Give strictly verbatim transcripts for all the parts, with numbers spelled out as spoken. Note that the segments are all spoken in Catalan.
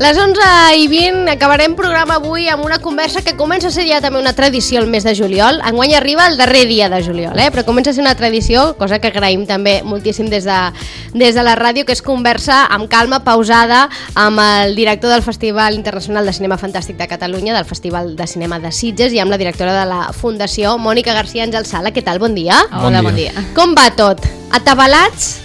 Les onze i vint acabarem programa avui amb una conversa que comença a ser ja també una tradició el mes de juliol. Enguany arriba el darrer dia de juliol, eh? Però comença a ser una tradició, cosa que agraïm també moltíssim des de, des de la ràdio, que és conversa amb calma, pausada, amb el director del Festival Internacional de Cinema Fantàstic de Catalunya, del Festival de Cinema de Sitges, i amb la directora de la Fundació, Mònica García Àngel Sala. Què tal? Bon dia. Hola, bon dia. Bon dia. Com va tot? Atabalats?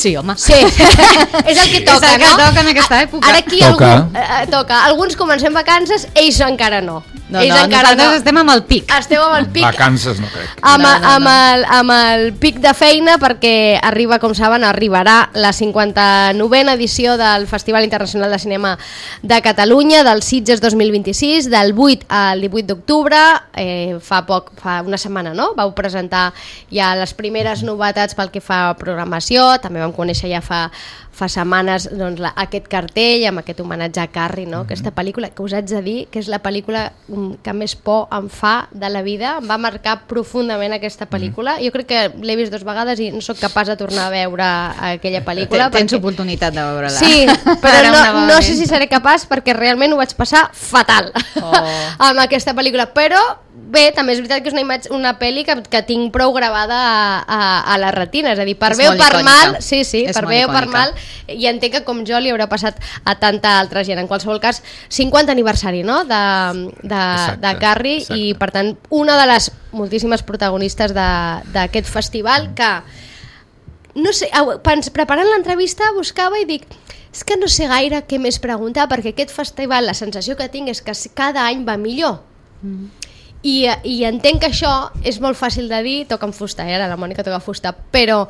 Sí, home. Sí, és el que toca, és el que no? toca en aquesta època. Ara aquí toca. Algú, eh, toca. Alguns comencem vacances, ells encara no. No, ells no, encara nosaltres no. estem amb el pic. Esteu amb el pic. Vacances no crec. Amb, No, no, no. amb, el, amb el pic de feina, perquè arriba, com saben, arribarà la cinquanta-novena edició del Festival Internacional de Cinema de Catalunya, del Sitges dos mil vint-i-sis, del vuit al divuit d'octubre. Eh, fa poc, fa una setmana, no? Vau presentar ja les primeres novetats pel que fa a programació, també vam conèixer ja fa fa setmanes doncs, la, aquest cartell amb aquest homenatge a Carrie, no? Aquesta pel·lícula que us haig de dir que és la pel·lícula que més por em fa de la vida. Em va marcar profundament aquesta pel·lícula. Jo crec que l'he vist dues vegades i no sóc capaç de tornar a veure aquella pel·lícula. Tens perquè... oportunitat de veure-la. Sí, però no, no sé si seré capaç perquè realment ho vaig passar fatal oh. amb aquesta pel·lícula, però bé, també és veritat que és una, imatge, una pel·li que, que tinc prou gravada a, a, a la retina, és a dir, per és bé o per icònica. mal, sí, sí, és per bé o per mal, i entenc que com jo li haurà passat a tanta altra gent. En qualsevol cas, cinquanta aniversari, no?, de, de, exacte, de Carrie, exacte. I per tant, una de les moltíssimes protagonistes d'aquest festival que, no sé, preparant l'entrevista buscava i dic, és que no sé gaire què més preguntar, perquè aquest festival, la sensació que tinc és que cada any va millor. Mm. I, i entenc que això és molt fàcil de dir, toca en fusta, eh? Ara la Mònica toca fusta, però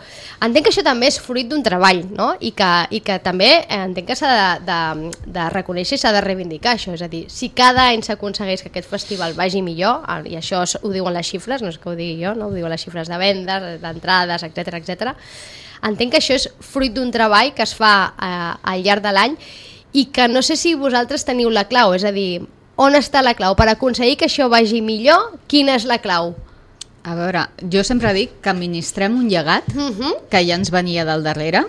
entenc que això també és fruit d'un treball, no? I que, i que també entenc que s'ha de, de, de reconèixer i s'ha de reivindicar això, és a dir, si cada any s'aconsegueix que aquest festival vagi millor, i això ho diuen les xifres, no és que ho digui jo, no? Ho diuen les xifres de vendes, d'entrades, etcètera, etcètera. Entenc que això és fruit d'un treball que es fa eh, al llarg de l'any i que no sé si vosaltres teniu la clau, és a dir, on està la clau? Per aconseguir que això vagi millor, quina és la clau? A veure, jo sempre dic que administrem un llegat uh-huh. que ja ens venia del darrere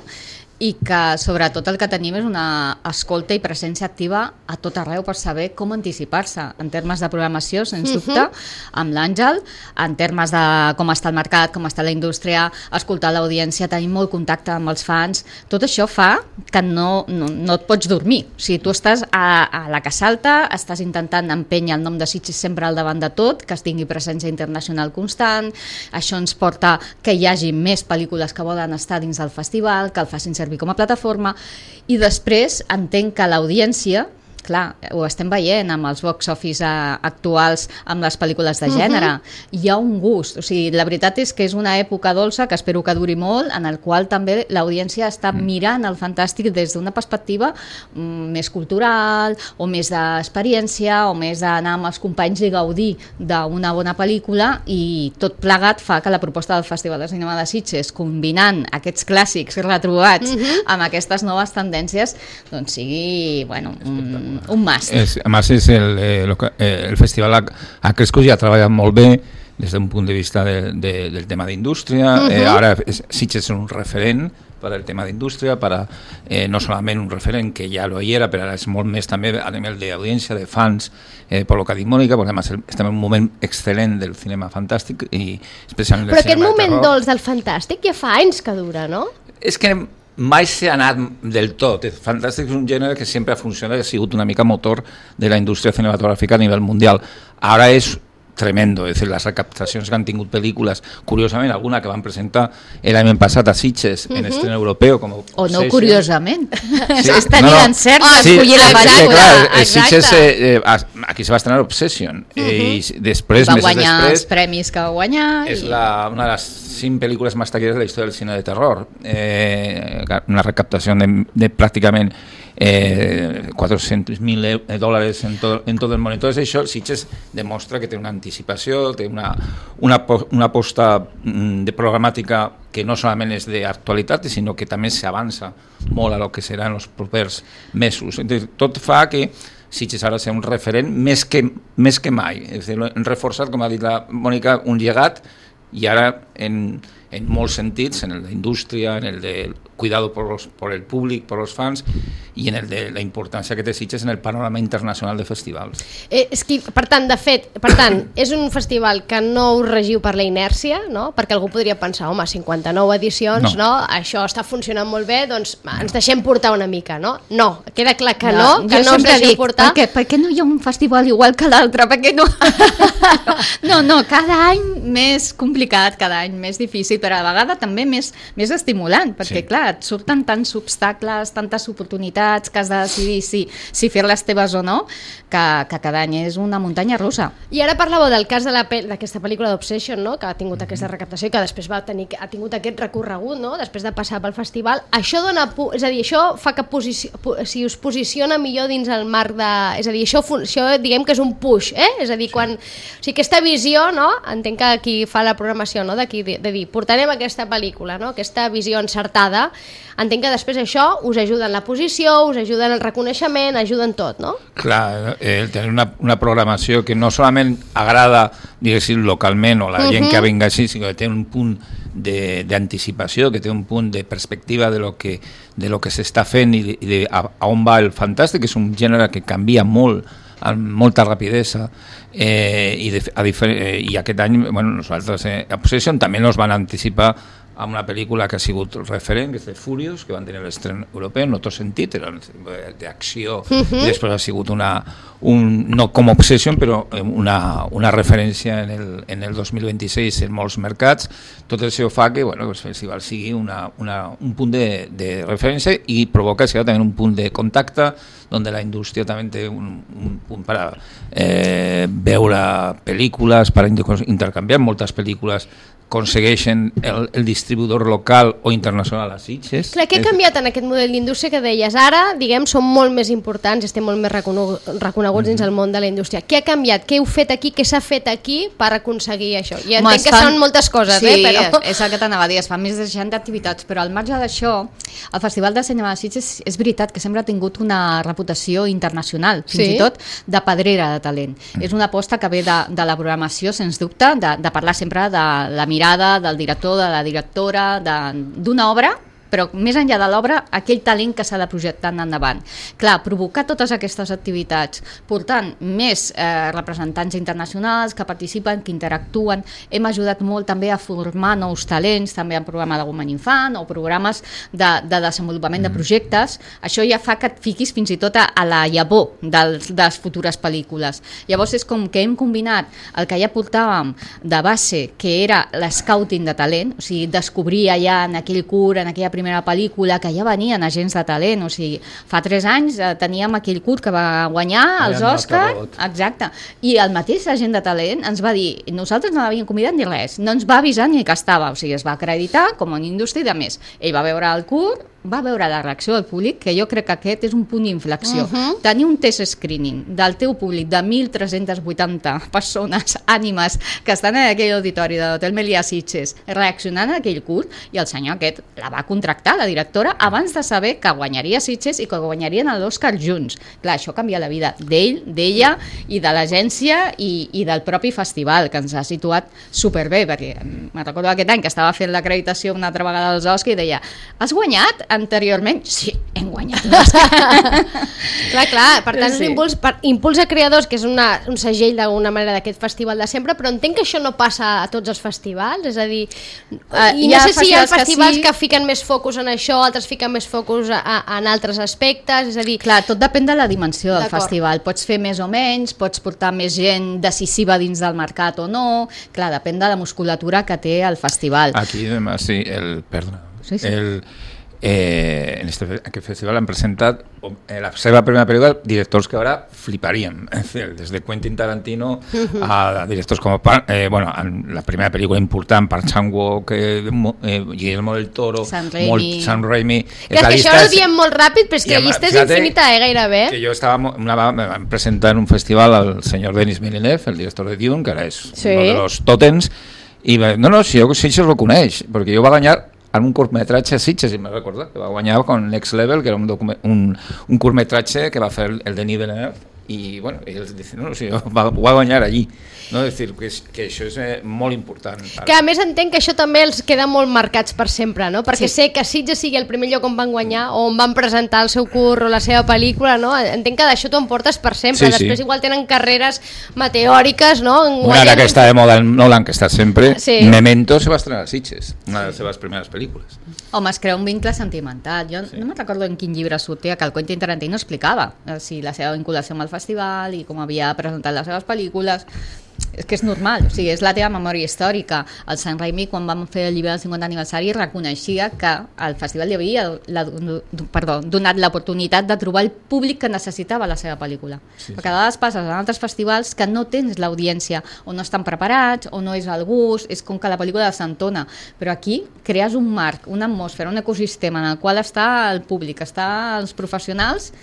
i que sobretot el que tenim és una escolta i presència activa a tot arreu per saber com anticipar-se en termes de programació, sens uh-huh. dubte, amb l'Àngel, en termes de com està el mercat, com està la indústria, escoltar l'audiència, tenir molt contacte amb els fans, tot això fa que no, no, no et pots dormir. O sigui, tu estàs a, a la que salta, estàs intentant empènyer el nom de Sitges sempre al davant de tot, que es tingui presència internacional constant, això ens porta que hi hagi més pel·lícules que volen estar dins del festival, que el facin servir com a plataforma, i després entenc que l'audiència, clar, ho estem veient amb els box office actuals, amb les pel·lícules de gènere, uh-huh. hi ha un gust, o sigui, la veritat és que és una època dolça, que espero que duri molt, en el qual també l'audiència està mm. mirant el fantàstic des d'una perspectiva mm, més cultural, o més d'experiència, o més d'anar amb els companys i gaudir d'una bona pel·lícula, i tot plegat fa que la proposta del Festival de Cinema de Sitges, combinant aquests clàssics retrobats uh-huh. amb aquestes noves tendències, doncs sigui, bueno, un un must. És, a més, és el, eh, lo que, eh, el festival ha, ha crescut i ha treballat molt bé des d'un punt de vista de, de, del tema d'indústria. Uh-huh. eh, ara Sitges és un referent per al tema d'indústria, per a, eh, no solament un referent que ja lo hi era, però ara és molt més també a nivell d'audiència, de fans, eh, per lo que ha dit Mònica, perquè además estem en un moment excel·lent del cinema fantàstic i especialment del però cinema de terror. Però aquest moment dolç del fantàstic ja fa anys que dura, no? És que mai s'ha anat del tot. El fantàstic és un gènere que sempre ha funcionat, ha sigut una mica motor de la indústria cinematogràfica a nivell mundial. Ara és tremendo, és a dir, les recaptacions que han tingut pel·lícules, curiosament alguna que van presentar l'any passat a Sitges uh-huh. en estrena europeu com o no curiosament sí. és tenir no, no. l'encert oh, d'escollir sí, la pel·lícula. Clar, Sitges eh, eh, aquí se va estrenar Obsession uh-huh. eh, i després, va mesos guanyar després, els premis que va guanyar és i... la, una de les cinc pel·lícules més taquilleres de la història del cine de terror, eh, una recaptació de, de pràcticament eh, cuatrocientos mil dòlars en, to, en tot el món. Entonces això Sitges demostra que té una anticipació, té una, una, una aposta de programàtica que no solament és d'actualitat, sinó que també s'avança molt a lo que seran els propers mesos. Entonces, tot fa que Sitges ara ser un referent més que, més que mai. És a dir, hem reforçat, com ha dit la Mònica, un llegat i ara en, en molts sentits, en el d'indústria, en el de cuidado por, los, por el públic, por los fans, i en el de la importància que té Sitges en el panorama internacional de festivals. Eh, és que, per tant, de fet, per tant, és un festival que no us regiu per la inèrcia, no? Perquè algú podria pensar, home, cinquanta-nou edicions, no. no? Això està funcionant molt bé, doncs ens deixem portar una mica, no? No, queda clar que no, no que no us deixeu dic, portar. Per què? Per què no hi ha un festival igual que l'altre? Per què no? no, no, cada any més complicat, cada any més difícil, però a la vegada també més, més estimulant, perquè sí. clar, et surten tants obstacles, tantes oportunitats que has de decidir si, si fer-les teves o no, que, que cada any és una muntanya russa. I ara parlàveu del cas de la pe d'aquesta pel·lícula d'Obsession, no? Que ha tingut mm-hmm. aquesta recaptació i que després va tenir, ha tingut aquest recorregut, no? Després de passar pel festival. Això dona, és a dir, això fa que posici si us posiciona millor dins el marc de... És a dir, això, això diguem que és un push, eh? És a dir, quan... O sigui, aquesta visió, no? Entenc que qui fa la programació, no? De, de, de dir, portarem aquesta pel·lícula, no? Aquesta visió encertada. Entenc que després això us ajuda en la posició, us ajuda en el reconeixement, ajuda en tot, no? Clar, eh, tenir una, una programació que no solament agrada, diguéssim, localment o la uh-huh. gent que vinga així, sinó que té un punt d'anticipació, que té un punt de perspectiva de lo que, de lo que s'està fent i, de, i de a, a on va el fantàstic, és un gènere que canvia molt, amb molta rapidesa, eh, i, de, a eh, i aquest any, bueno, nosaltres eh, a Obsession també nos van anticipar amb una pel·lícula que ha sigut referent, que és de Furious, que van tenir l'estren europeu, en otro sentit, era d'acció, uh-huh. i després ha sigut una, un, no com Obsession, però una, una referència en el, en el dos mil vint-i-sis en molts mercats. Tot això fa que bueno, el festival sigui una, una, un punt de, de referència i provoca sigui, també un punt de contacte, on la indústria també té un, un punt per a eh, veure pel·lícules, per intercanviar moltes pel·lícules, aconsegueixen el, el distribuïdor local o internacional a Sitges. Clar, què ha canviat en aquest model d'indústria que deies? Ara, diguem, som molt més importants, estem molt més reconeguts mm-hmm. dins el món de la indústria. Què ha canviat? Què heu fet aquí? Què s'ha fet aquí per aconseguir això? I entenc que fan... són moltes coses, sí, eh? Però... és, és el que t'anava a dir, es fan més de seixanta activitats, però al marge d'això, el Festival de Cinema de Sitges és veritat que sempre ha tingut una reputació internacional, fins sí? i tot de pedrera de talent. Mm. És una aposta que ve de, de la programació, sens dubte, de, de parlar sempre de la mirada del director, de la directora, d'una obra, però més enllà de l'obra, aquell talent que s'ha de projectar endavant. Clar, provocar totes aquestes activitats, portant més eh, representants internacionals que participen, que interactuen, hem ajudat molt també a formar nous talents, també en programa de Women Infant o programes de, de desenvolupament mm. de projectes. Això ja fa que et fiquis fins i tot a, a la llavor dels, de les futures pel·lícules. Llavors és com que hem combinat el que ja portàvem de base, que era l'escouting de talent, o sigui, descobrir allà en aquell curt, en aquella primera primera pel·lícula, que ja venien agents de talent, o sigui, fa tres anys eh, teníem aquell curt que va guanyar els Òscars, exacte, i el mateix agent de talent ens va dir, nosaltres no l'havíem convidat ni res, no ens va avisar ni que estava, o sigui, es va acreditar com una indústria i de més. Ell va veure el curt, va veure la reacció del públic, que jo crec que aquest és un punt d'inflexió. Uh-huh. Tenir un test screening del teu públic de mil tres-centes vuitanta persones, ànimes, que estan en aquell auditori de l'Hotel Melià Sitges, reaccionant a aquell curt, i el senyor aquest la va contractar, la directora, abans de saber que guanyaria Sitges i que guanyarien l'Òscar junts. Clar, això canvia la vida d'ell, d'ella i de l'agència i, i del propi festival, que ens ha situat superbé, perquè me'n recordo aquest any que estava fent l'acreditació una altra vegada als Òscars i deia, has guanyat anteriorment? Sí, hem guanyat l'Òscar. Clar, clar, per tant, sí. un impuls, per, impuls a creadors, que és una, un segell d'alguna manera d'aquest festival de sempre, però entenc que això no passa a tots els festivals, és a dir, uh, i no sé si hi ha festivals que, sí. que fiquen més focus en això, altres fiquen més focus a, a, en altres aspectes, és a dir... Clar, tot depèn de la dimensió del festival, pots fer més o menys, pots portar més gent decisiva dins del mercat o no, clar, depèn de la musculatura que té el festival. Aquí, sí, el... Perdona, sí, sí. el... Eh, en este, aquest festival han presentat eh, la seva primera pel·lícula directors que ara fliparíem, des de Quentin Tarantino a directors com eh, bueno, la primera pel·lícula important, Park Chan-wook, eh, eh, Guillermo del Toro, Sam Raimi, molt, Sam Raimi. Que és que això ho diem molt ràpid, però és que la llista és infinita, eh, gairebé. Que jo estava, una vegada me van presentar en un festival al senyor Denis Villeneuve, el director de Dune, que ara és sí. uno de los tòtems, i va, no, no, si jo Sitges lo coneix, perquè jo va guanyar en un curtmetratge a Sitges, si me recordo, que va guanyar con Next Level, que era un, un, un curtmetratge que va fer el Denis Villeneuve, i bueno, ells diuen, no, o sigui, va, va guanyar allí, no? És dir, que, és, que això és eh, molt important. Que a més entenc que això també els queda molt marcats per sempre, no? Perquè sí. sé que Sitges sigui el primer lloc on van guanyar o on van presentar el seu curt o la seva pel·lícula, no? Entenc que d'això t'ho emportes per sempre, sí, després sí. igual tenen carreres meteòriques, no? Una ara que està de moda el Nolan, que està sempre, sí. Memento se va estrenar a Sitges, una de les seves primeres pel·lícules. Home, es crea un vincle sentimental. Jo sí. no me'n recordo en quin llibre sortia que el Quentin Tarantino explicava eh, si la seva vinculació amb el festival i com havia presentat les seves pel·lícules. És que és normal, o sigui, és la teva memòria històrica. El Sam Raimi, quan vam fer el llibre del cinquantè aniversari, reconeixia que el festival li havia la, perdó, donat l'oportunitat de trobar el públic que necessitava la seva pel·lícula. Sí, sí. Perquè a vegades passes en altres festivals que no tens l'audiència, o no estan preparats, o no és el gust, és com que la pel·lícula s'entona. Però aquí crees un marc, una atmosfera, un ecosistema en el qual està el públic, està els professionals,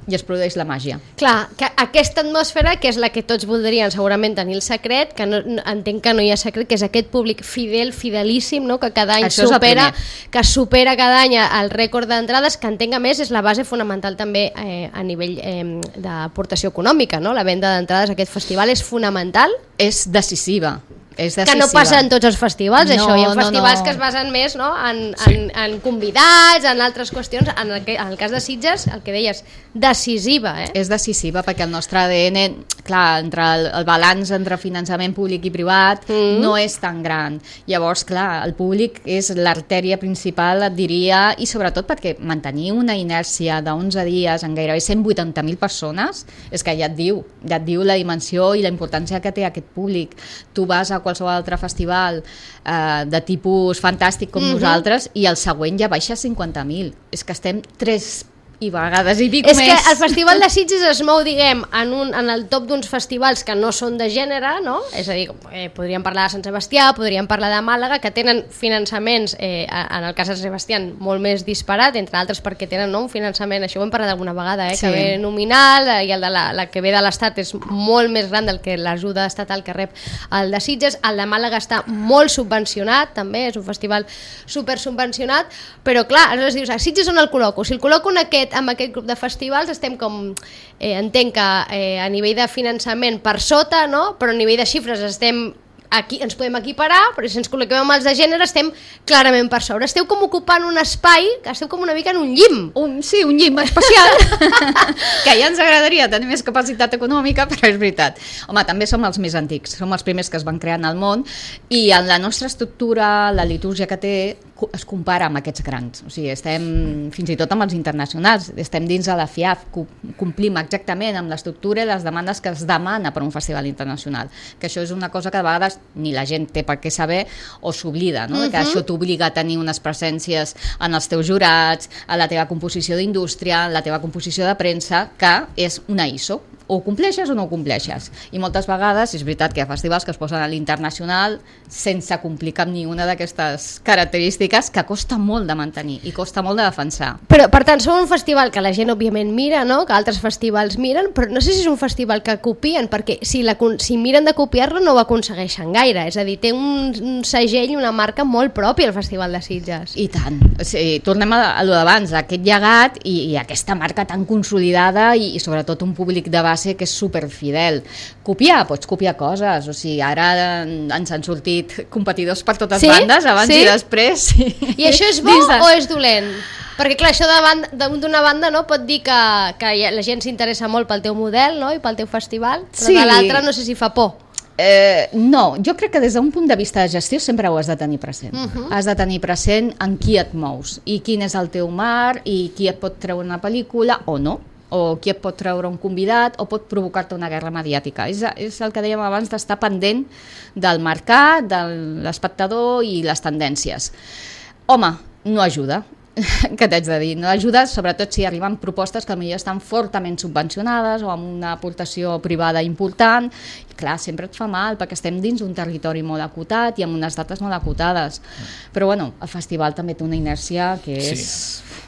i es produeix la màgia. Clar, que aquesta atmosfera, que és la que tots voldrien segurament tenir el secret, que no, entenc que no hi ha secret, que és aquest públic fidel, fidelíssim, no? Que cada any Això supera que supera cada any el rècord d'entrades, que entenc a més és la base fonamental també eh, a nivell eh, d'aportació econòmica, no? La venda d'entrades a aquest festival és fonamental. És decisiva. És que no passa en tots els festivals, no, això. Hi ha festivals no, no. que es basen més, no? en, sí. en, en convidats, en altres qüestions. En el, en el cas de Sitges, el que deies, decisiva. Eh? És decisiva perquè el nostre A D N, clar, entre el, el balanç entre finançament públic i privat mm. no és tan gran. Llavors, clar, el públic és l'artèria principal, et diria, i sobretot perquè mantenir una inèrcia d'onze dies en gairebé cent vuitanta mil persones, és que ja et diu, ja et diu la dimensió i la importància que té aquest públic. Tu vas a qualsevol altre festival eh, de tipus fantàstic com mm-hmm. nosaltres i el següent ja baixa a cinquanta mil. És que estem tres i vegades i pico és més. És que el Festival de Sitges es mou, diguem, en, un, en el top d'uns festivals que no són de gènere, no? És a dir, eh, podríem parlar de Sant Sebastià, podríem parlar de Màlaga, que tenen finançaments, eh, en el cas de Sant Sebastià, molt més disparat, entre altres perquè tenen no, un finançament, això ho hem parlat alguna vegada, eh, sí. que ve nominal, i el de la, la que ve de l'Estat és molt més gran del que l'ajuda estatal que rep el de Sitges. El de Màlaga està molt subvencionat, també, és un festival super subvencionat, però clar, aleshores dius, a Sitges on el col·loco? Si el col·loco en aquest amb aquest grup de festivals estem com, eh, entenc que eh, a nivell de finançament per sota, no? Però a nivell de xifres estem aquí, ens podem equiparar, però si ens col·loquem amb els de gènere estem clarament per sobre. Esteu com ocupant un espai, que esteu com una mica en un llim. Un, sí, un llim especial, que ja ens agradaria tenir més capacitat econòmica, però és veritat. Home, també som els més antics, som els primers que es van crear en el món, i en la nostra estructura, la litúrgia que té, es compara amb aquests grans. O sigui, estem fins i tot amb els internacionals, estem dins de la F I A F, complim exactament amb l'estructura i les demandes que es demana per un festival internacional, que això és una cosa que a vegades ni la gent té per què saber o s'oblida, no? Uh-huh. Que això t'obliga a tenir unes presències en els teus jurats, a la teva composició d'indústria, en la teva composició de premsa, que és una I S O. O compleixes o no ho compleixes. I moltes vegades és veritat que hi ha festivals que es posen a l'internacional sense complir cap ni una d'aquestes característiques que costa molt de mantenir i costa molt de defensar. Però, per tant, som un festival que la gent òbviament mira, no? Que altres festivals miren, però no sé si és un festival que copien, perquè si, la, si miren de copiar-lo no ho aconsegueixen gaire. És a dir, té un, un segell, una marca molt pròpia el Festival de Sitges. I tant. O sigui, tornem a, a lo d'abans, aquest llegat i, i aquesta marca tan consolidada i, i sobretot un públic de base que és superfidel. Copiar, pots copiar coses, o sigui, ara ens han sortit competidors per totes sí? bandes, abans sí? i després. Sí. I això és bo de... o és dolent? Perquè clar, això d'una banda no, pot dir que, que la gent s'interessa molt pel teu model, no? I pel teu festival, però sí. de l'altra no sé si fa por. Eh, no, jo crec que des d'un punt de vista de gestió sempre ho has de tenir present. Uh-huh. Has de tenir present en qui et mous i quin és el teu mar i qui et pot treure una pel·lícula o no, o qui et pot treure un convidat o pot provocar-te una guerra mediàtica. És, és el que dèiem abans d'estar pendent del mercat, de l'espectador i les tendències. Home, no ajuda. Què t'haig de dir? No ajuda, sobretot si arriben propostes que potser estan fortament subvencionades o amb una aportació privada important. I clar, sempre et fa mal perquè estem dins un territori molt acotat i amb unes dates molt acotades. Però bueno, el festival també té una inèrcia que és... Sí.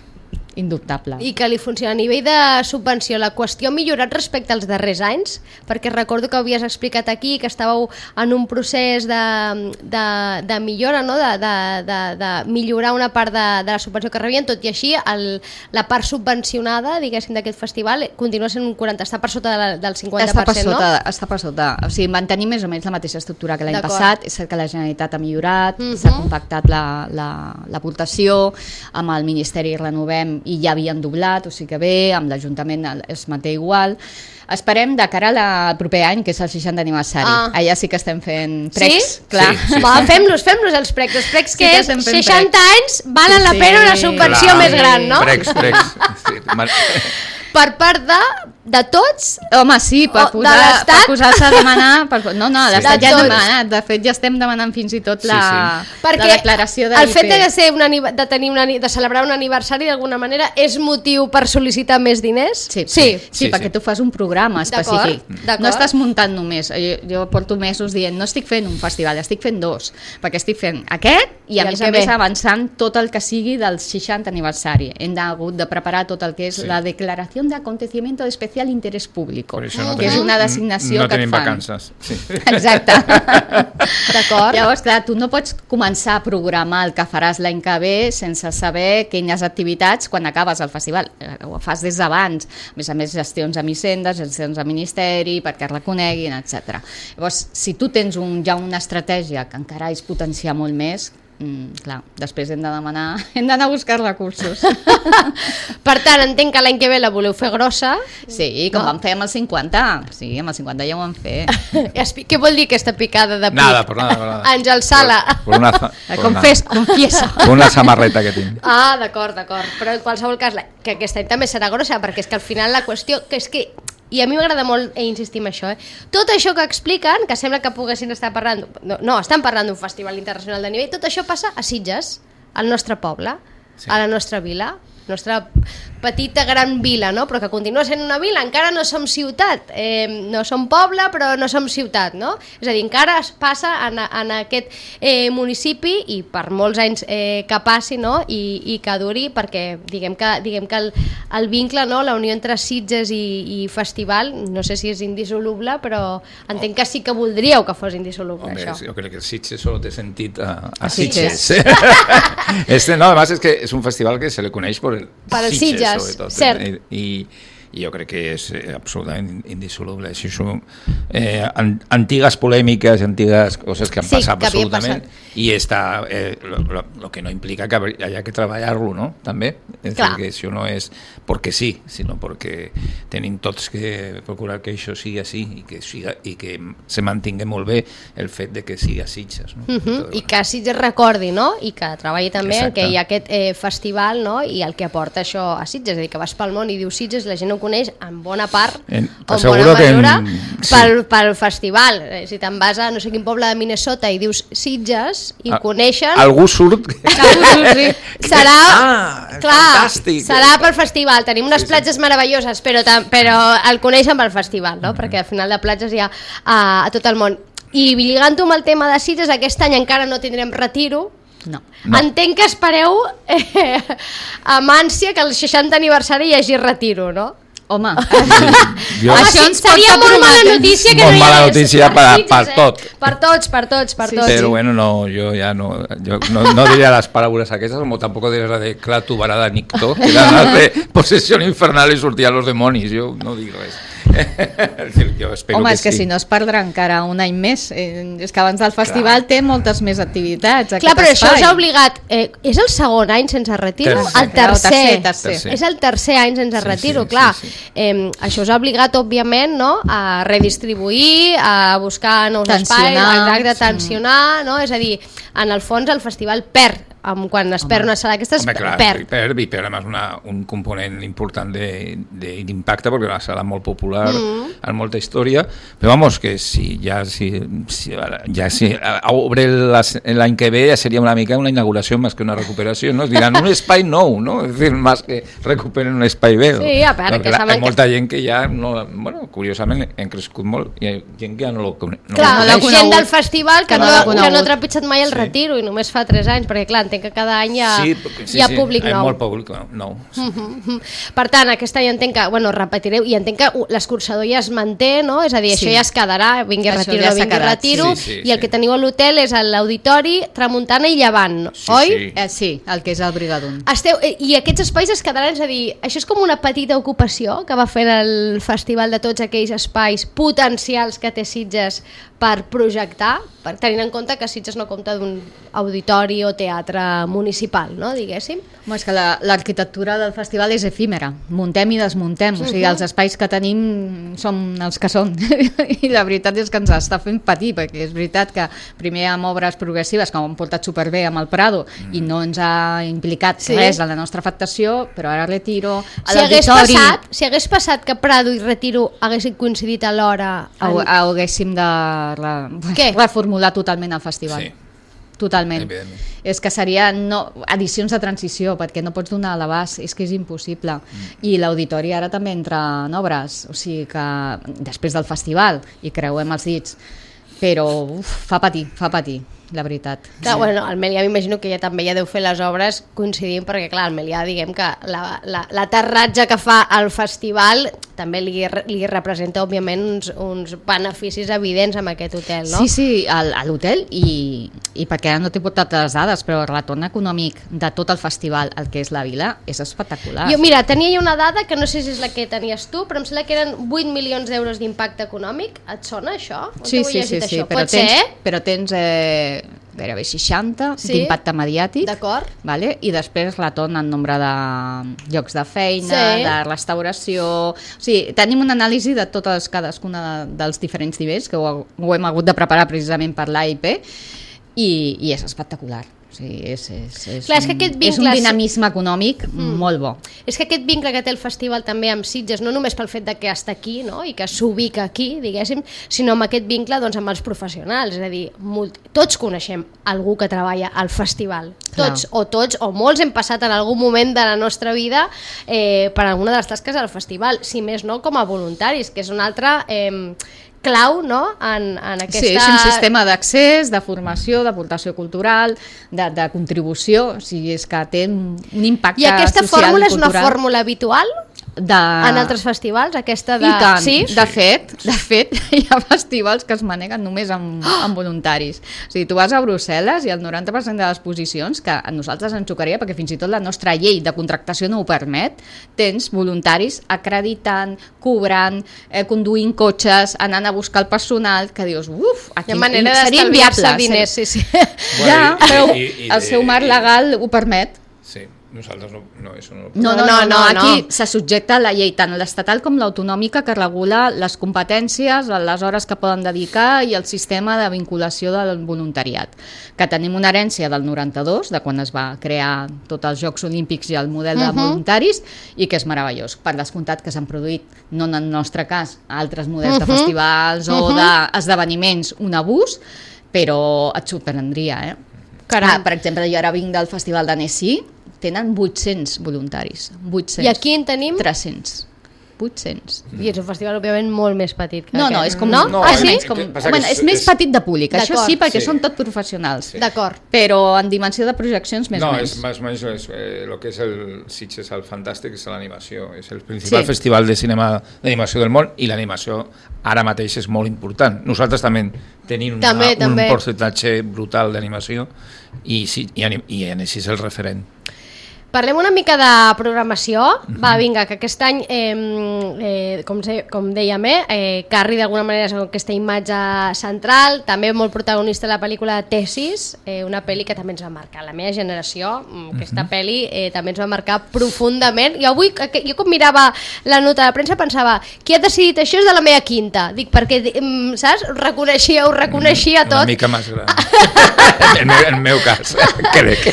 indubtable. I que li funciona a nivell de subvenció. La qüestió ha millorat respecte als darrers anys, perquè recordo que havies explicat aquí que estàveu en un procés de, de, de millora, no? de, de, de, de millorar una part de, de la subvenció que rebien, tot i així el, la part subvencionada, diguéssim, d'aquest festival continua sent un quaranta, està per sota de la, del cinquanta per cent, està per sota, no? Està per sota, o sigui, mantenim més o menys la mateixa estructura que l'any D'acord. passat, és cert que la Generalitat ha millorat, Mhm. s'ha compactat la, la, l'aportació, amb el Ministeri Renovem i ja havien doblat, o sigui que bé, amb l'Ajuntament es manté igual. Esperem de cara al proper any, que és el seixantè aniversari. Ah. Allà sí que estem fent precs, Sí? clar. Sí, sí. Va, fem-los, fem-los els precs. Els precs Sí que, que és estem fent seixanta anys valen Sí, la pena una sí. subvenció Clar. més gran, no? Precs, precs. Sí, mar- Per part de, de tots, Home, sí, per, O de posar, l'Estat? per posar-se a demanar... Per, no, no, l'Estat De ja ha tots. demanat. De fet, ja estem demanant fins i tot Sí, la, sí. perquè la declaració de el l'I P. fet de, ser un anive- de, tenir una, de celebrar un aniversari d'alguna manera és motiu per sol·licitar més diners? Sí, sí. sí, Sí, perquè sí. tu fas un programa específic. D'acord, d'acord. No estàs muntant només. Jo, jo porto mesos dient, no estic fent un festival, estic fent dos, perquè estic fent aquest i a I el més que a més ve. avançant tot el que sigui del seixantè aniversari. Hem hagut de preparar tot el que és Sí. la declaració de acontecimiento de especial interés público, Per això no que és tenim- una designació no que et tenim fan. vacances. Sí. Exacte. D'acord. Llavors, clar, tu no pots començar a programar el que faràs l'any que ve sense saber quines activitats quan acabes el festival. Eh, Ho fas des d'abans. A més a més, gestions amb Hisenda, gestions amb Ministeri, perquè es reconeguin, etcètera. Llavors, si tu tens un, ja una estratègia que encara és potenciar molt més, mm, clar, després hem de demanar, hem d'anar a buscar recursos. Per tant, entenc que l'any que ve la voleu fer grossa. Sí, com No. vam fer amb el cinquanta. Sí, amb el cinquanta ja ho vam fer. Espi- Què vol dir aquesta picada de pit? Nada, por nada, por nada. Àngel Sala. Por, por una, za- por una- Confés, confiesa. por una samarreta que tinc. Ah, d'acord, d'acord. Però en qualsevol cas, la- que aquest any també serà grossa, perquè és que al final la qüestió, que és que, i a mi m'agrada molt eh, insistir en això, eh? Tot això que expliquen, que sembla que poguessin estar parlant, no, no estan parlant d'un festival internacional de nivell, tot això passa a Sitges, al nostre poble, Sí. a la nostra vila, nostra petita gran vila, no? Però que continua sent una vila, encara no som ciutat, eh, no som poble però no som ciutat, no? És a dir, encara es passa en, en aquest eh, municipi i per molts anys eh, que passi, no? I, i que duri, perquè diguem que, diguem que el, el vincle, no? La unió entre Sitges i, i festival, no sé si és indissoluble, però entenc que sí que voldríeu que fos indissoluble, Hombre, això. yo creo que el Sitges solo te sentit a, a A Sitges. Sitges. este, no, además es que es un festival que se le coneix por el Per el Sitges, Sitges, sobretot. cert. I, i, i jo crec que és eh, absolutament indissoluble. Això són eh, an, antigues polèmiques, antigues coses que han Sí, passat que havien absolutament, passat. i està, eh, lo, lo, lo que no implica que haya que treballar-lo, no? També. És Clar. dir, que això no és perquè sí, sinó perquè tenim tots que procurar que això sigui així i que, siga, i que se mantingui molt bé el fet de que sigui a Sitges. No? Uh -huh. I que Sitges recordi, no? I que treballi també en Exacte. que hi ha aquest eh, festival, no? I el que aporta això a Sitges, és a dir, que vas pel món i dius Sitges, la gent ho coneix en bona part, En- o en t'asseguro bona que en- mesura, sí. pel, pel festival. Eh, Si te'n vas a no sé quin poble de Minnesota i dius Sitges i Ah, coneixen... Algú surt... Algú, sí. Serà, Ah, clar, fantàstic. serà pel festival. Tenim unes Sí, sí. platges meravelloses, però, tam- però el coneixen pel festival, no? Perquè al final de platges hi ha a, a tot el món. I lligant-ho amb el tema de Sitges, aquest any encara no tindrem retiro. No. No. Entenc que espereu eh, amb ànsia que el seixantè aniversari hi hagi retiro, no? Home, Jo- Home, Això sí, ens seria porta molt mala prometent. notícia que Molt no hi mala hagués notícia per- Sitges, per tot. Per tots, per tots, per Sí, tots. Pero bueno, no, yo ya no, yo no, no diría las palabras aquellas, como tampoco diría la de Clatu Barada Nicto, que eran las de posesión infernal y sortían los demonios, yo no digo eso. Es decir, yo espero home, que és que sí. si no es perdrà encara un any més. Eh, és que abans del festival té moltes més activitats. Clar, però aquest això us espai. ha obligat... Eh, és el segon any sense retiro? Tercer. El tercer. Tercer, tercer. Tercer. És el tercer any sense Sí, retiro, sí, clar. sí, sí. Eh, això us ha obligat, òbviament, no? A redistribuir, a buscar nous Tensionar. espais, exacte, tensionar, no? És a dir, en el fons el festival perd, amb, quan es perd una sala d'aquestes, Hombre, claro, perd. y perd, y perd además una, un componente importante de, de, de impacto porque una sala muy popular, Mm. amb molta història, però vamos, que si ja si, si, ja si obre l'any que ve ja seria una mica una inauguració més que una recuperació, no? Es diran un espai nou, no? És dir, més que recuperen un espai vell. Sí, a part, que hi ha saben que- molta gent que ja no, bueno, curiosament hem crescut molt, hi ha gent que ja no lo coneix. No Clar, no la l'ha gent conegut, del festival que, que no no, l'ha que no conegut. ha trepitjat mai el Sí. retiro i només fa tres anys, perquè clar, entenc que cada any hi ha, sí, sí, hi ha sí, públic hi ha nou. molt públic nou. Sí. Uh-huh. Per tant, aquest any entenc que, bueno, repetireu, i entenc que l'escurçador ja es manté, no? És a dir, sí. això ja es quedarà, vingui Això retiro, ja no vingui quedat, retiro, sí, sí, i el sí. que teniu a l'hotel és l'auditori, Tramuntana i Llevant, Sí, oi? sí. Eh, sí, el que és el Brigadun. Esteu, I aquests espais es quedaran, és a dir, això és com una petita ocupació que va fent el festival de tots aquells espais potencials que té Sitges per projectar, per tenint en compte que Sitges no compta d'un auditori o teatre municipal, no, diguéssim? Home, és que l'arquitectura la, del festival és efímera, muntem i desmuntem, uh-huh. o sigui, els espais que tenim són els que són, i la veritat és que ens està fent patir, perquè és veritat que primer amb obres progressives que ho han portat superbé amb el Prado mm. i no ens ha implicat sí. res a la nostra afectació, però ara Retiro, a si hagués, l'auditori... passat, si hagués passat que Prado i Retiro haguessin coincidit alhora... En... En... Haguéssim de re... reformular totalment el festival. Sí. Totalment. És que seria no, edicions de transició, perquè no pots donar a l'abast, és que és impossible. Mm. I l'auditori ara també entra en obres, o sigui que després del festival, i creuem els dits, però uf, fa patir, fa patir, la veritat. Clar, sí. Bueno, el Melià m'imagino que ja també ja deu fer les obres coincidint, perquè clar, el Melià, diguem que l'aterratge que fa al festival també li, li representa, òbviament, uns, uns beneficis evidents amb aquest hotel, no? Sí, sí, a l'hotel, i, i perquè ara no t'he portat les dades, però el retorn econòmic de tot el festival, el que és la vila, és espectacular. Jo, mira, tenia ja una dada, que no sé si és la que tenies tu, però em sembla que eren vuit milions d'euros d'impacte econòmic. Et sona això? Sí, sí, sí, sí, però tens, però tens eh, gairebé seixanta sí? d'impacte mediàtic. D'acord. Vale? I després retorn en nombre de llocs de feina, sí. de restauració... O sigui, tenim una anàlisi de totes cadascuna de, dels diferents nivells, que ho, ho hem hagut de preparar precisament per l'A I P, i, i és espectacular. O sigui, és, és, és, Clar, és, que aquest vincle... és un dinamisme econòmic mm. molt bo. És que aquest vincle que té el festival també amb Sitges, no només pel fet de que està aquí, no? I que s'ubica aquí, diguéssim, sinó amb aquest vincle doncs, amb els professionals. És a dir, molt... tots coneixem algú que treballa al festival. Tots Clar. o tots o molts hem passat en algun moment de la nostra vida eh, per alguna de les tasques del festival, si més no com a voluntaris, que és una altra... Eh, clau, no?, en, en aquesta... Sí, és un sistema d'accés, de formació, d'aportació cultural, de, de contribució, o sigui, és que té un impacte social i cultural. I aquesta fórmula és una fórmula habitual? De... En altres festivals, aquesta de... I tant, sí? de fet, de fet, hi ha festivals que es maneguen només amb, amb voluntaris. O sigui, tu vas a Brussel·les i el noranta per cent de les posicions, que a nosaltres ens xocaria, perquè fins i tot la nostra llei de contractació no ho permet, tens voluntaris acreditant, cobrant, eh, conduint cotxes, anant a buscar el personal, que dius, uf, aquí seria inviable. Diners, sí, sí. Ja, però el seu marc legal ho permet. Sí. Nosaltres no, no, això no... No, no, no, no, aquí no. Se subjecta a la llei, tant l'estatal com l'autonòmica, que regula les competències, les hores que poden dedicar i el sistema de vinculació del voluntariat. Que tenim una herència del noranta-dos, de quan es va crear tots els Jocs Olímpics i el model de voluntaris, i que és meravellós. Per descomptat que s'han produït, no en el nostre cas, altres models de festivals o d'esdeveniments, un abús, però et sorprendria, eh? Ah, per exemple, jo ara vinc del Festival d'Annecy, tenen vuit-cents voluntaris. vuit-cents. I aquí en tenim? tres-cents. vuit-cents. I és un festival, òbviament, molt més petit que no, aquest. No, és com... No? no ah, sí? És, com, bueno, és, és més petit de públic, això sí, perquè sí. Són tot professionals. Sí. D'acord. Però en dimensió de projeccions més no, o menys. No, és més o menys eh, el que és el Sitges el fantàstic és l'animació. És el principal sí. festival de cinema d'animació del món i l'animació ara mateix és molt important. Nosaltres també tenim una, també, un també. percentatge brutal d'animació i, sí, i, i Annecy és el referent. Parlem una mica de programació. Uh-huh. Va, vinga, que aquest any, eh, eh, com, se, com dèiem, eh, Carri d'alguna manera és aquesta imatge central, també molt protagonista de la pel·lícula Tesis, eh, una pel·li que també ens va marcar la meva generació, aquesta uh-huh. pel·li eh, també ens va marcar profundament. Jo avui, jo com mirava la nota de premsa pensava, qui ha decidit això és de la meva quinta, dic, perquè, saps, ho reconeixia, ho reconeixia tot. Una mica més gran. en, el, en el meu cas, crec.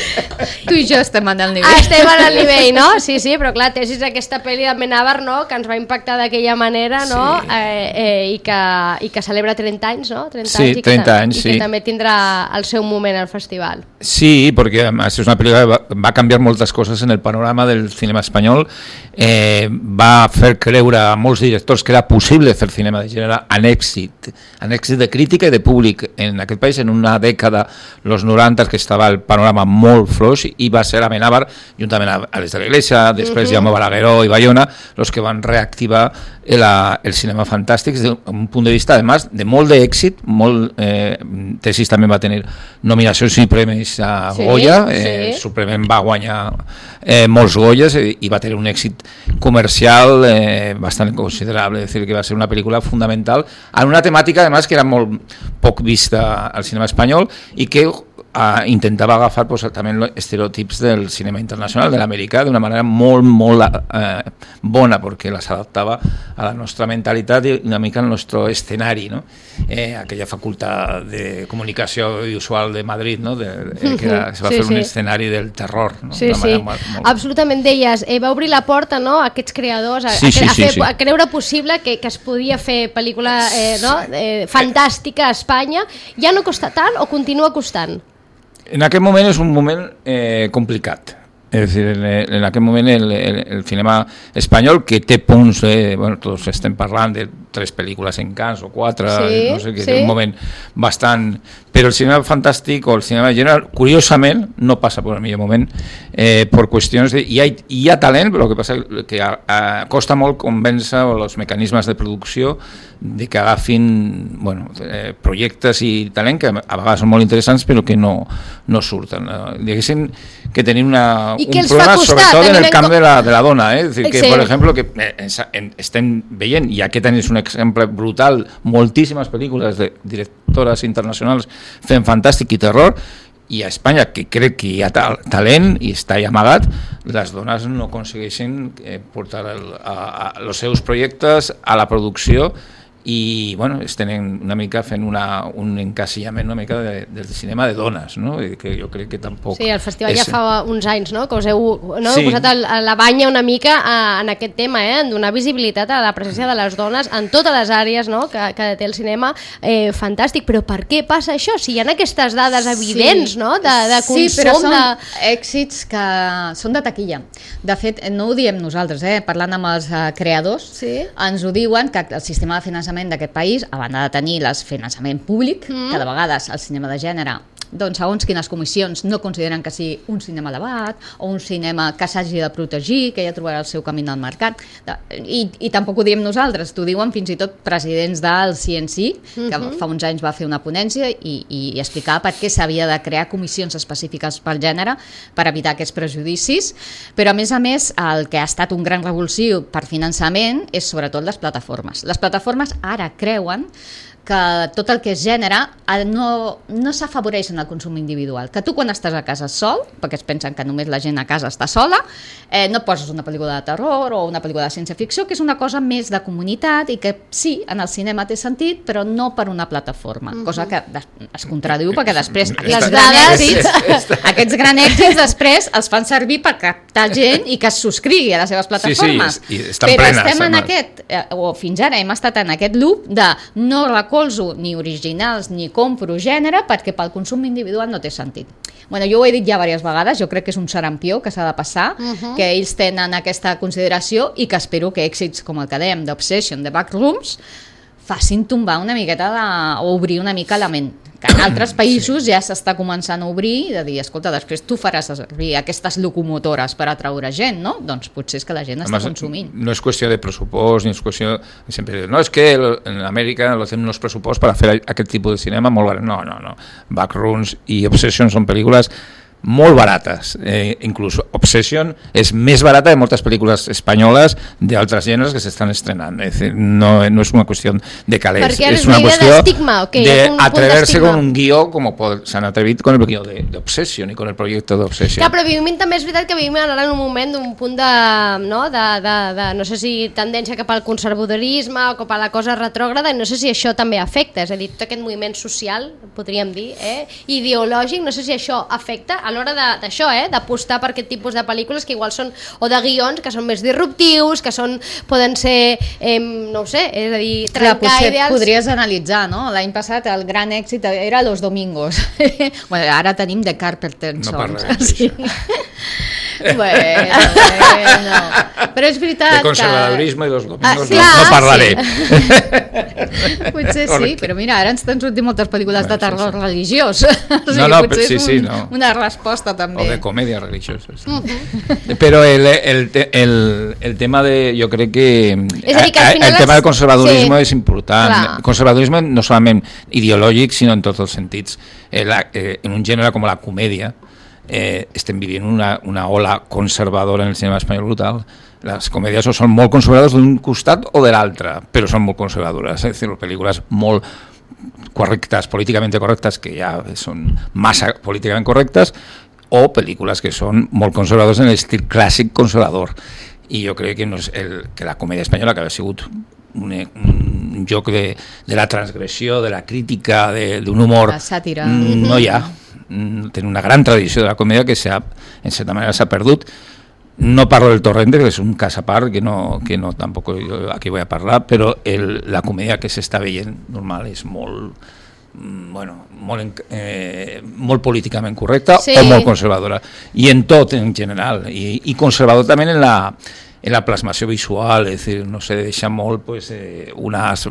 Tu i jo estem en el nivell. Ah, estem en el nivell, no? Sí, sí, però clar, Tesis aquesta pel·li de Amenábar, no?, que ens va impactar d'aquella manera, no? Sí. Eh, eh, i, que, i que celebra trenta anys, no? trenta sí, anys, i trenta que, anys, i sí. que també tindrà el seu moment al festival. Sí, perquè és una pel·lícula que va, va canviar moltes coses en el panorama del cinema espanyol, eh, va fer creure a molts directors que era possible fer cinema de gènere en èxit, en èxit de crítica i de públic en aquest país en una dècada los noranta, que estava el panorama molt fluix, i va ser Amenábar, juntament a les de la Iglesia, després uh-huh. Jaume Balagueró i Bayona, els que van reactivar el, el cinema fantàstic des d'un punt de vista, además, de molt d'èxit, molt, eh, Tesis també va tenir nominacions i premis a sí, Goya, eh, sí. Suprement va guanyar eh, molts Goyes i, i va tenir un èxit comercial eh, bastant considerable, és a dir, que va ser una pel·lícula fundamental en una temàtica, además, que era molt poc vista al cinema espanyol i que Uh, intentava agafar pues, també estereotips del cinema internacional, de l'americà, d'una manera molt, molt uh, bona, perquè les adaptava a la nostra mentalitat i una mica al nostre escenari, no? Eh, aquella facultat de comunicació audiovisual de Madrid, no? de, eh, que era, se va sí, fer sí. un escenari del terror. No? Sí, sí. Molt, molt... Absolutament, deies, eh, va obrir la porta, no?, a aquests creadors a, sí, sí, a, a, fer, sí, sí. a creure possible que, que es podia fer pel·lícula eh, no? eh, fantàstica a Espanya. Ja no costa tant o continua costant? En aquest moment és un moment eh, complicat. És a dir, en, en aquest moment el, el, el cinema espanyol, que té punts, eh, bueno, tots estem parlant de tres pel·lícules en Cannes o quatre, sí, no sé, que sí. és un moment bastant... Però el cinema fantàstic o el cinema general, curiosament, no passa per el millor moment eh, per qüestions de... Hi ha, hi ha talent, però el que passa és que a, a, costa molt convèncer els mecanismes de producció de que agafin bueno, eh, projectes i talent que a vegades són molt interessants però que no, no surten. Eh? Diguéssim que tenim una, un problema sobretot en el camp de la, de la dona. Eh? És dir, que, sí. per exemple, que eh, estem veient, i aquest any és un exemple brutal, moltíssimes pel·lícules de directores internacionals fent fantàstic i terror, i a Espanya, que crec que hi ha tal, talent i està ja amagat, les dones no aconsegueixen eh, portar el, a, a, els seus projectes a la producció i bueno, estem una mica fent una, un encasillament una mica de, del cinema de dones, no? I que jo crec que tampoc... Sí, el festival és... ja fa uns anys, no?, que us heu no? sí. posat el, la banya una mica a, en aquest tema, eh? En donar visibilitat a la presència de les dones en totes les àrees, no?, que, que té el cinema. Eh, fantàstic, però per què passa això? Si hi ha aquestes dades evidents, sí. no?, de, de consum... Sí, però són de... èxits que són de taquilla. De fet, no ho diem nosaltres, eh? Parlant amb els uh, creadors, sí. ens ho diuen que el sistema de finançament d'aquest país, a banda de tenir el finançament públic, mm. que de vegades el cinema de gènere, doncs segons quines comissions no consideren que sigui un cinema elevat o un cinema que s'hagi de protegir, que ja trobarà el seu camí al mercat, i, i tampoc ho diem nosaltres, t'ho diuen fins i tot presidents del C N C, que mm-hmm. fa uns anys va fer una ponència i, i, i explicava per què s'havia de crear comissions específiques pel gènere per evitar aquests prejudicis, però a més a més el que ha estat un gran revulsiu per finançament és sobretot les plataformes. Les plataformes ara creuen que tot el que és gènere no, no s'afavoreix en el consum individual, que tu quan estàs a casa sol, perquè es pensen que només la gent a casa està sola, eh, no poses una pel·lícula de terror o una pel·lícula de ciència-ficció, que és una cosa més de comunitat i que sí, en el cinema té sentit, però no per una plataforma, uh-huh. cosa que es contradiu perquè després aquests grans èxits, aquests grans èxits després els fan servir per captar gent i que es subscrigui a les seves plataformes. Sí, sí, estan però plenes, estem en aquest, eh, o fins ara hem estat en aquest loop de no recolzo ni originals ni compro gènere perquè pel consum individual no té sentit. Bueno, jo ho he dit ja diverses vegades, jo crec que és un serampió que s'ha de passar, uh-huh. que ells tenen aquesta consideració i que espero que èxits com el que dèiem d'Obsession, de Backrooms, facin tombar una miqueta de, o obrir una mica la ment. Que en altres països sí. ja s'està començant a obrir de dir, escolta, després tu faràs servir aquestes locomotores per atraure gent, no? Doncs potser és que la gent està Además, consumint. No és qüestió de pressupost, ni és qüestió... Sempre, no, és que en Amèrica no tenen uns pressupost per a fer aquest tipus de cinema molt barat. No, no, no. Backrooms i Obsession són pel·lícules molt barates, eh, inclús Obsession és més barata de moltes pel·lícules espanyoles d'altres gèneres que s'estan estrenant, és dir, no, no és una qüestió de calés, és una qüestió okay, d'atreverse con un guió com s'han atrevit con el guió d'Obsession i con el projecte d'Obsession. Clar, però vivim també és veritat que vivim ara en un moment d'un punt de no, de, de, de, no sé si tendència cap al conservadorisme o cap a la cosa retrògrada, i no sé si això també afecta, és a dir, tot aquest moviment social, podríem dir, eh, ideològic, no sé si això afecta a l'hora d'això, eh, d'apostar per aquest tipus de pel·lícules que igual són, o de guions que són més disruptius, que són, poden ser, eh, no ho sé, és a dir, trencar Clar, ideals. Podries analitzar, no? L'any passat el gran èxit era Los Domingos. Bueno, ara tenim The Carpenter Songs. No parlem d'això. Bueno, bueno. Però és veritat de conservadorisme que... i Los Domingos ah, clar, no, no parlaré. Sí. Potser sí, però mira, ara ens estan sortint moltes pel·lícules de terror sí, sí. religiós. O sigui, no, no, potser sí, és un, sí, no. una resposta també. O de comèdia religiosa. Sí. Uh-huh. Però el, el, el, el tema de... Jo crec que... És a dir, que al final el tema del conservadorisme sí. és important. Clar. Conservadorisme no solament ideològic, sinó en tots els sentits. En, la, en un gènere com la comèdia, eh, estem vivint una, una ola conservadora en el cinema espanyol brutal. Les comèdies són molt conservadores d'un costat o de l'altre, però són molt conservadores, és a dir, pel·lícules molt correctes, políticament correctes, que ja són massa políticament correctes, o pel·lícules que són molt conservadores en l'estil clàssic conservador. I jo crec que, no és el, que la comèdia espanyola, que ha sigut un, un joc de, de la transgressió, de la crítica, d'un humor, la sàtira, no hi ha. Tenen una gran tradició de la comèdia que en certa manera s'ha perdut. No parlo del Torrente, que és un cas a part, que no, que no tampoc jo aquí vull a parlar, però el, la comèdia que s'està veient normal és molt, bueno, molt, eh, molt políticament correcta sí. o molt conservadora. I en tot, en general. I, i conservador també en la... en la plasmació visual, és dir, no sé, deixa molt pues, eh, unes,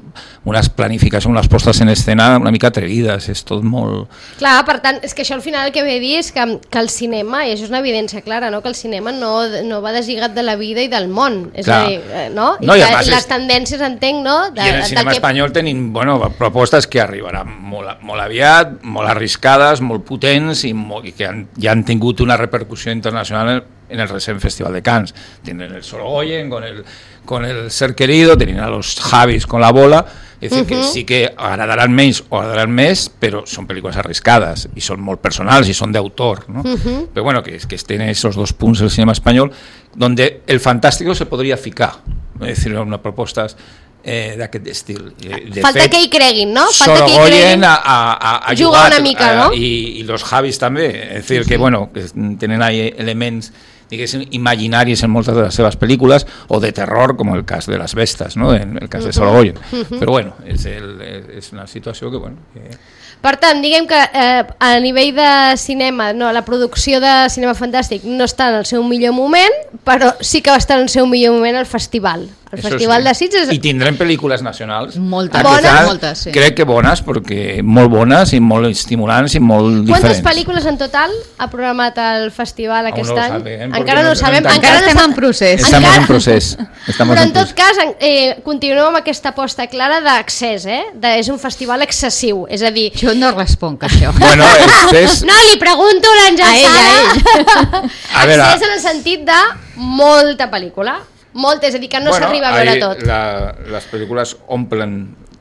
unes planificacions, unes postes en escena una mica atrevides, és tot molt... Clar, per tant, és que això al final el que ve a dir és que, que el cinema, i això és una evidència clara, no? Que el cinema no, no va deslligat de la vida i del món, és Clar. a dir, no? I, no, i que les és... tendències, entenc, no? De, I en el cinema que... espanyol tenim bueno, propostes que arribaran molt, molt aviat, molt arriscades, molt potents i, molt, i que han, ja han tingut una repercussió internacional en, en el recent Festival de Cannes. Tienen el Sorogoyen con el, con el Ser Querido, tienen a los Javis con La Bola, es decir, uh-huh. que sí que agradaran menys o agradaran més, però són pel·lícules arriscades i són molt personals i són d'autor, ¿no? Uh-huh. Però bueno, que, que estén esos dos punts del cinema espanyol donde el fantástico se podria ficar, es decir, una propostes eh, d'aquest estil. De Falta fet, que hi creguin, no? Falta Sorogoyen a, a, a jugar una mica, a, no? I, i los Javis també, es decir, sí, que sí. bueno, que tenen ahí elements diguéssim, imaginaris en moltes de les seves pel·lícules, o de terror, com el cas de les Vestes, no? En el cas uh-huh. de Sorogoyen. Uh-huh. Però bueno, és, el, és una situació que... bueno. Que... Per tant, diguem que eh, a nivell de cinema, no, la producció de cinema fantàstic no està en el seu millor moment, però sí que va estar en el seu millor moment el festival. El Eso Festival sí. de Sitges... I tindrem pel·lícules nacionals. Moltes. Bones? Any, moltes, sí. Crec que bones, perquè molt bones i molt estimulants i molt Quantes diferents. Quantes pel·lícules en total ha programat el festival aquest no any? Sabem, encara no ho sabem. Encara, encara estem en procés. Estamos encara... en procés. Estamos Però en, en tot cas, eh, continuem amb aquesta aposta clara d'accés, eh? De, és un festival excessiu, és a dir... Jo no responc a això. Bueno, és... No, li pregunto a l'Àngel Sala. A ell, Accés en el sentit de molta pel·lícula. Molt, és a dir, que no bueno, s'arriba a veure tot. La, les pel·lícules omplen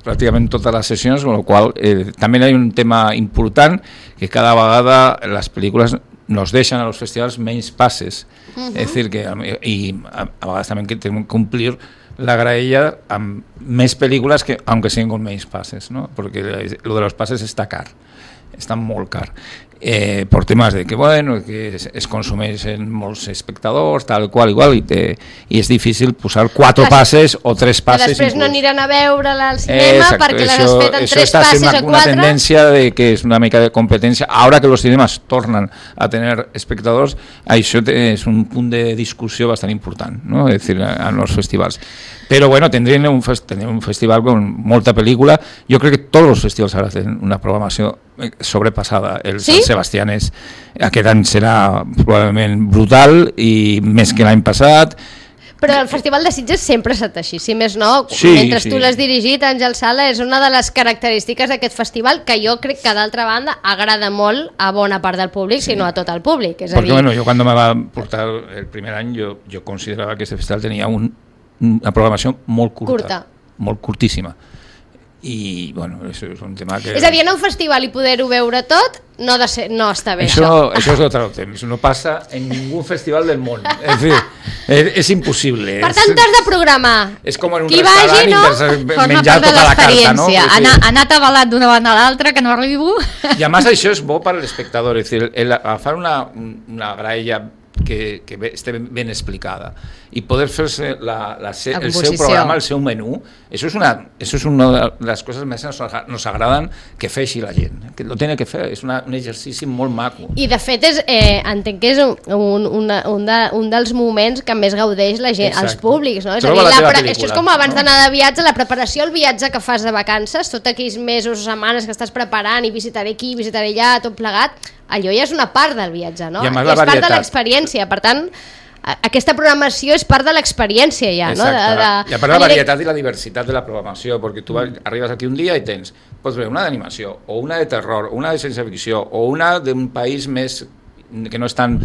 pràcticament totes les sessions, amb la qual eh, també hi ha un tema important, que cada vegada les pel·lícules nos deixen a los festivals menys passes. Uh-huh. És dir, que i a, a vegades també que tenim que complir la graella amb més pel·lícules que, aunque siguin con menys passes, ¿no? Porque lo de los pases està car, està molt car. Eh, por temas de que bueno que es, es consumeixen molts espectadors tal qual igual i, te, i és difícil posar quatre passes o tres passes després inclús. No aniran a veure-la al cinema eh, exacto, perquè l'has eso, fet en eso tres está passes una, o quatre una tendencia de que es una mica de competencia ahora que los cinemas tornan a tener espectadors, això és un punt de discussió bastant important, ¿no? Es decir, en los festivals. Però bueno, tendrien un, fest, un festival con molta pel·lícula. Jo crec que tots els festivals ara tenen una programació sobrepassada. El ¿Sí? Sant Sebastián és, aquest any serà probablement brutal i més que l'any passat. Però el Festival de Sitges sempre ha estat així, si més no, sí, mentre sí. tu l'has dirigit, Àngel Sala, és una de les característiques d'aquest festival que jo crec que d'altra banda agrada molt a bona part del públic, sí. si no a tot el públic. És a Perquè dir... bueno, jo quan me va portar el primer any jo, jo considerava que aquest festival tenia un una programació molt curta, curta, molt curtíssima. I, bueno, això és un tema que... És a dir, anar a un festival i poder-ho veure tot no, de ser, no està bé, això. Això, això és otro tema, eso no passa en ningú festival del món. És dir, és, és impossible. Per tant, t'has de programar. És com en un Qui restaurant vagi, no? menjar tota la carta, no? Anar, anar atabalat d'una banda a l'altra, que no arribo. I a més això és bo per a l'espectador, és dir, el agafar una, una graella que, que esté ben explicada i poder fer-se la, la, la el seu composició. programa, el seu menú, això és una, això és una de les coses més nos, nos agraden que feixi la gent, que lo tiene que fer, és una, un exercici molt maco. I de fet és, eh, entenc que és un, un, una, un, de, un dels moments que més gaudeix la gent, els públics, no? És a dir, la pre... això és com abans no? d'anar de viatge, la preparació, el viatge que fas de vacances, tots aquells mesos o setmanes que estàs preparant i visitaré aquí, visitaré allà, tot plegat, allò ja és una part del viatge, no? I a més, és part de l'experiència, per tant aquesta programació és part de l'experiència ja, no? De, de... I a part de la varietat i la diversitat de la programació, perquè tu arribes aquí un dia i tens, pots veure una d'animació, o una de terror, o una de ciència ficció, o una d'un país més que no és tan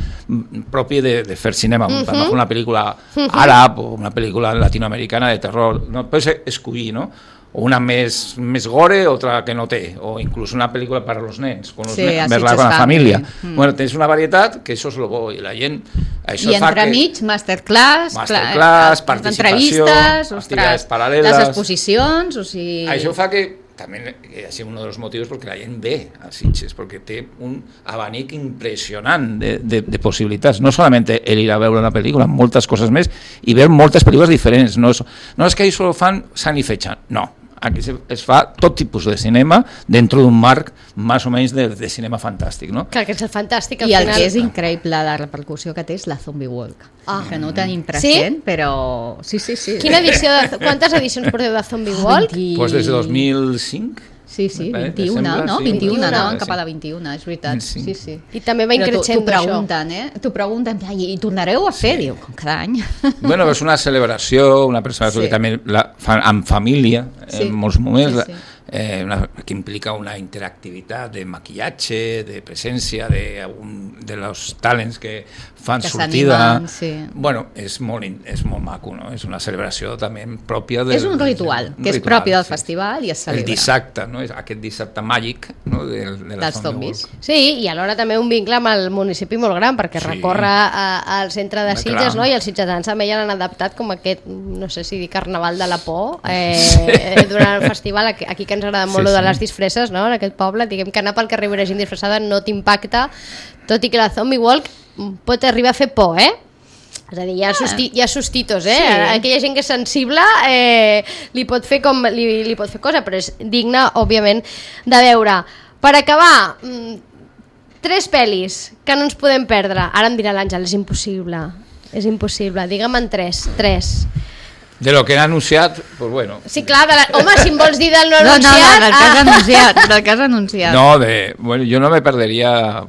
propi de, de fer cinema, uh -huh. per una pel·lícula àrab o una pel·lícula latinoamericana de terror, no pots escollir, no? O una més, més gore, otra que no té, o inclús una pel·lícula per als nens, con, sí, nens, verla con la família. Mm. Bueno, tens una varietat que això és lo bo, i la gent... Això I entremig, que... masterclass, masterclass, participació, activitats paral·leles, les exposicions, o sigui... Això fa que també ha sigut un dels motius perquè la gent ve a Sitges, perquè té un abanic impressionant de, de, de possibilitats, no solament el ir a veure una pel·lícula, moltes coses més, i veure moltes pel·lícules diferents, no és, no és que ells solo fan sant i fetge, no, aquí es fa tot tipus de cinema dintre d'un marc més o menys de, de cinema fantàstic, no? Clar, que és el fantàstic. I el final... que és increïble, la repercussió que té és la Zombie Walk, ah. que no ho tenim present, sí? Però sí, sí, sí. Quina edició de... Quantes edicions porteu de Zombie Walk? vint... Pues des de dos mil cinc. Sí, sí, vint-i-una, no? vint-i-una, anaven cap a la vint-i-una, és veritat. Sí, sí. I també va increixent d'això. T'ho pregunten, eh? T'ho pregunten, i tornareu a fer? Diu, com cada any. Bueno, és una celebració, una persona que també la fan amb família, en molts moments, eh, una, que implica una interactivitat de maquillatge, de presència, de, un, de los talents que fan que sortida. Sí. Bueno, és molt, és molt maco, no? És una celebració també pròpia del... És un ritual, un que és ritual, propi del sí. festival i es celebra. El dissabte, no? És aquest dissabte màgic, no? De, de la dels zombis. Sí, i alhora també un vincle amb el municipi molt gran, perquè sí. recorre a, al centre de Sitges, no? I els sitgetans també ja l'han adaptat com aquest, no sé si dir carnaval de la por, eh, sí. durant el festival, aquí, aquí que ens agrada molt sí, de les sí. disfresses, no? En aquest poble, diguem que anar pel carrer veure gent disfressada no t'impacta, tot i que la Zombie Walk pot arribar a fer por, eh? És a dir, hi ha, susti hi ha sustitos, eh? Sí. Aquella gent que és sensible eh, li pot fer com li, li pot fer cosa, però és digne, òbviament, de veure. Per acabar, tres pel·lis que no ens podem perdre. Ara em dirà l'Àngel, és impossible. És impossible. Digue'm en tres. Tres. De lo que han anunciat, pues bueno. Sí, clar, de la... home, si em vols dir del no, no anunciat... No, no, del que has anunciat, del que has anunciat. No, de... Bueno, yo no me perdería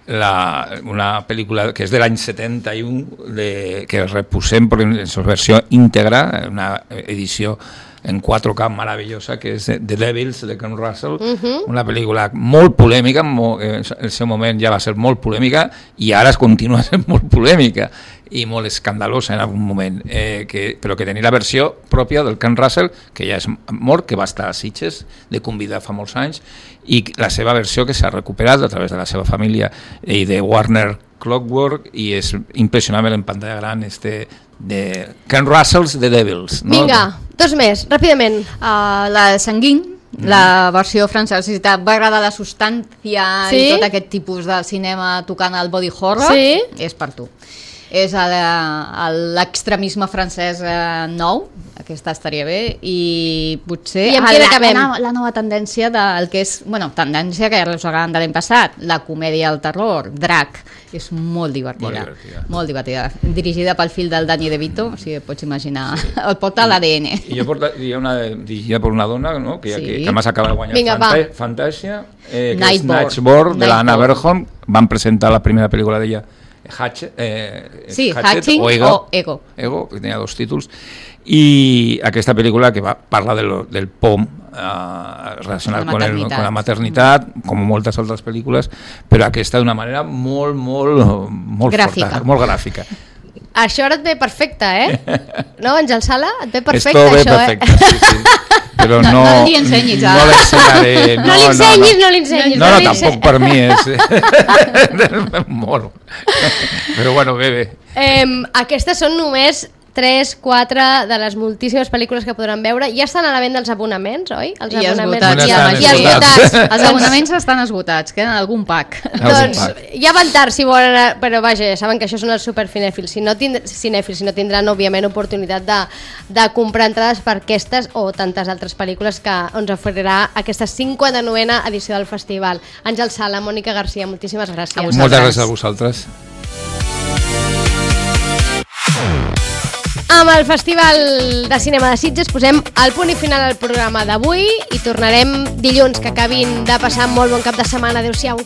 la, una pel·lícula que és de l'any setanta-u, de, que reposem en su versió íntegra, una edició en quatre K maravillosa, que és The Devils, de Ken Russell, uh-huh. una pel·lícula molt polèmica, molt, en el seu moment ja va ser molt polèmica, i ara es continua sent molt polèmica, i molt escandalosa en algun moment, eh, que, però que tenia la versió pròpia del Ken Russell, que ja és mort, que va estar a Sitges de convidar fa molts anys, i la seva versió que s'ha recuperat a través de la seva família i de Warner Clockwork, i és impressionant en pantalla gran este de Ken Russell's The Devils, no? Vinga, dos més, ràpidament. Uh, la de Sanguin, mm. la versió francesa, va agradar la substància sí? i tot aquest tipus de cinema tocant el body horror, sí? És per tu. És l'extremisme francès nou, aquesta estaria bé, i potser I la, la, la nova tendència del que és, bueno, tendència que ja arrossegàvem de l'any passat, la comèdia al terror, Drac, és molt divertida, molt divertida, molt divertida. Dirigida pel fill del Danny DeVito, o sigui, pots imaginar, sí. el porta a l'A D N. I jo portaria una dirigida per una dona, no? que, sí. que, que més acaba de guanyar Vinga, Fanta Fantàsia, eh, que és Nightborn, de l'Anna Berholm, van presentar la primera pel·lícula d'ella, Hatchet, eh, sí, Hatchet Hatching o Ego, o Ego. Ego, que tenia dos títols, i aquesta pel·lícula que va parla del, del P O M eh, relacionat con, el, con la maternitat, com moltes altres pel·lícules, però aquesta d'una manera molt, molt, molt gràfica. Forta, molt gràfica. Això ara et ve perfecte, eh? No, Àngel Sala? Et ve perfecte, Esto ve això, perfecte, eh? sí, sí. Però no, no, no li ensenyis, no, no l'ensenyaré. No, no li ensenyis, no, no li ensenyis. No, no, no tampoc per mi és molt. Però bueno, bé, bé. Eh, aquestes són només tres, quatre de les moltíssimes pel·lícules que podran veure. Ja estan a la venda els abonaments, oi? Els I abonaments esgotats. ja, Ja ja estan esgotats. Els abonaments estan esgotats, queden algun pack. Doncs ja van tard si volen, però vaja, ja saben que això són els supercinèfils. Si no, tind cinèfils, si no tindran, òbviament, oportunitat de, de comprar entrades per aquestes o tantes altres pel·lícules que ens oferirà aquesta cinquanta-novena edició del festival. Àngel Sala, Mònica Garcia, moltíssimes gràcies. Moltes gràcies a vosaltres. Amb el Festival de Cinema de Sitges posem el punt i final al programa d'avui i tornarem dilluns, que acabin de passar molt bon cap de setmana. Adéu-siau.